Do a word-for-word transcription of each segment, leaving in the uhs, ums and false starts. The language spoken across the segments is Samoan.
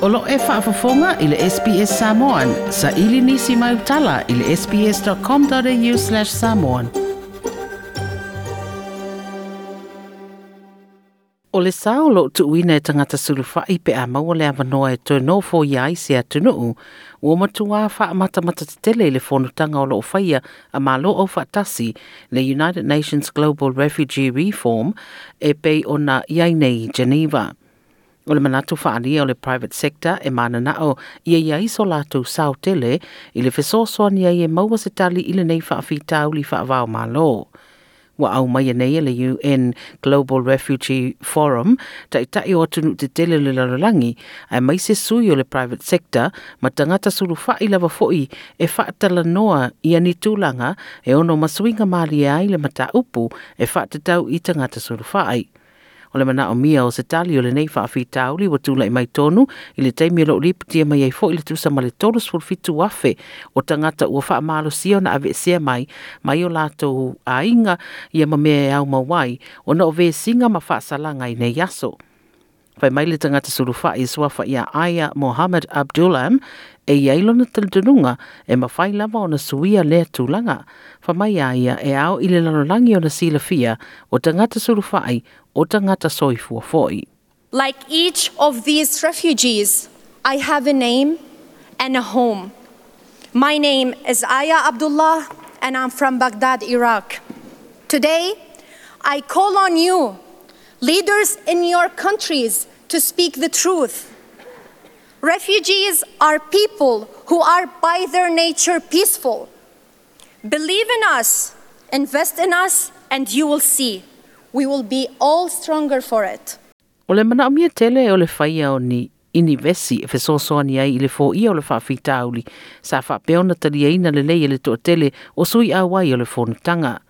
O lo e faafofoga i le S B S Samoan, sa ili nisi mai utala i le S B S dot com dot A U slash samoan. O le sao lo tuuina e tagata sulufai pe a maua le avanoa e toe nofo ia ai se atunuu, ua matua faamatamata tetele i le fonutaga o loo faia a Malo au faatasi, le United Nations Global Refugee Reform, e pei ona iai nei i Geneva. O le manatu faalia o le private sector e mananao ia iai so latou sao tele i le fesoasoani ai e maua se tali i lenei faafitauli faavao malo. Ua au mai nei e le U N Global Refugee Forum taitai o atunuu tetele le lalolagi, ae mai se sui o le private sector ma tagata sulufai lava foi e faatalanoa ia ni tulaga e ono masuiga malie ai le mataupu e faatatau i tagata sulufai. O le manaomia o se tali o lenei faafitauli ua tulai mai tonu i le taimi o loo lipotia mai ai foi le tusa ma le tolusefulu fitu afe o tagata ua faamalosia ona aveesea mai mai o latou aiga ia ma mea e au mau ai ona o vesiga ma faasalaga i nei aso. Fai mai le tagata sulufai e suafa ia Aya Mohammed Abdullam e iai lona talitonuga e mafai lava ona suia lea tulaga. Fa mai a ia e ao i le lalolagi ona silafia o tagata sulufai o tagata soifua foi. Like each of these refugees, I have a name and a home. My name is Aya Abdullah, and I'm from Baghdad, Iraq. Today, I call on you, leaders in your countries, to speak the truth. Refugees are people who are by their nature peaceful. Believe in us, invest in us, and you will see we will be all stronger for it. O le manaomia tele o le faia o ni inivesi e fesoasoani ai i le foia o le faafitauli sa faapea ona taliaina lelei e le toatele o sui auai o le fonutaga.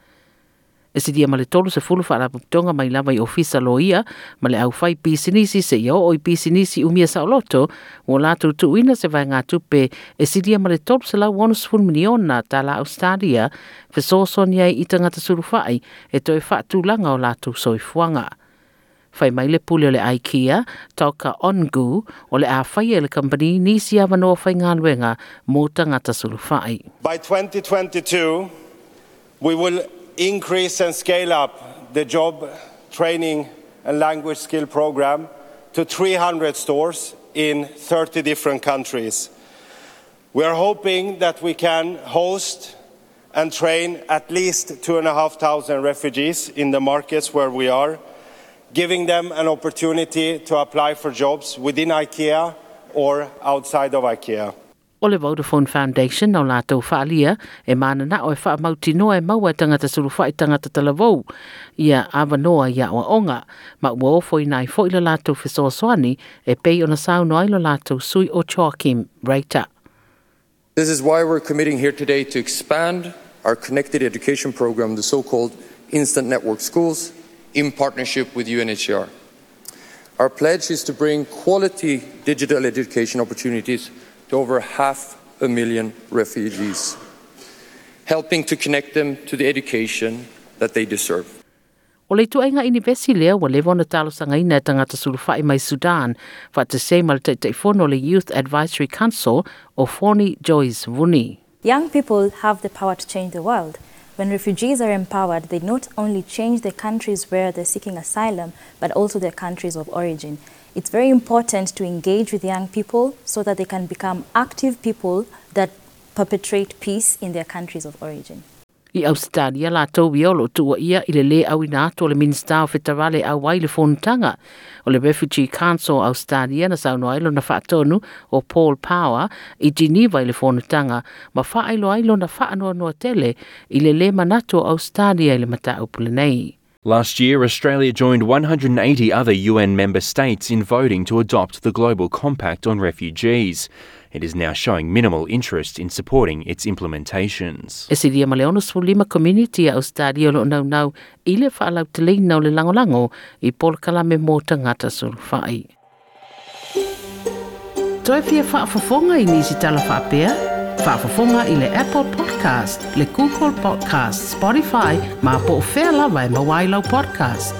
E silia ma le tolu sefulu faalapotopotoga mai lava i ofisa loia ma le aufai pisinisi seia oo i pisinisi umia saoloto ua latou tuuina se vaegatupe e silia ma le tolu selau ono sefulu miliona tala Australia fesoasoani ai i tagata sulufai e toe faatulaga o latou soifuaga. Fai mai le pule o le IKEA, Toka Ongu, o le a faia e le kampani nisi avanoa faigaluega mo tagata sulufai. By twenty twenty-two, we will increase and scale up the job training and language skill program to three hundred stores in thirty different countries. We are hoping that we can host and train at least two thousand five hundred refugees in the markets where we are, giving them an opportunity to apply for jobs within IKEA or outside of IKEA. O le Vodafone Foundation o latou faalia e mananao e faamautinoa e maua e tagata sulufai tagata talavou ia avanoa i aoaoga ma ua ofoina ai foi le latou fesoasoani e pei ona saunoa ai lo latou sui o Joachim Reiter. This is why we're committing here today to expand our connected education program, the so called Instant Network Schools, in partnership with U N H C R. Our pledge is to bring quality digital education opportunities to over half a million refugees, helping to connect them to the education that they deserve. O le ituaiga inivesi lea ua leva ona talosagaina e tagata sulufai mai Sudan faatasi ma le Taitaifono o le Youth Advisory Council o Foni Joyce Vuni. Young people have the power to change the world. When refugees are empowered, they not only change the countries where they're seeking asylum, but also their countries of origin. It's very important to engage with young people so that they can become active people that perpetrate peace in their countries of origin. I Australia latou ia o loo tuuaia i le lē auina atu o le Minista o Fetarale auai le fonutaga o le Refugee Council Australia na saunoa ai lona faatonu o Paul Power i Geneva i le fonutaga ma faailoa ai lona faanoanoa tele i le lē manatu o Australia i le mataupu lenei. Last year, Australia joined one hundred eighty other U N member states in voting to adopt the Global Compact on Refugees. It is now showing minimal interest in supporting its implementations. E silia ma le ono lima community a Australia o loo naunau i le faalauteleina o le lagolago i polokalame mo tagata sulufai. Toe fia faafofoga i nisi tala faapea? Faafofoga i le Apple Podcast, le Google Podcast, Spotify, ma po o fea lava e maua ai lau podcast.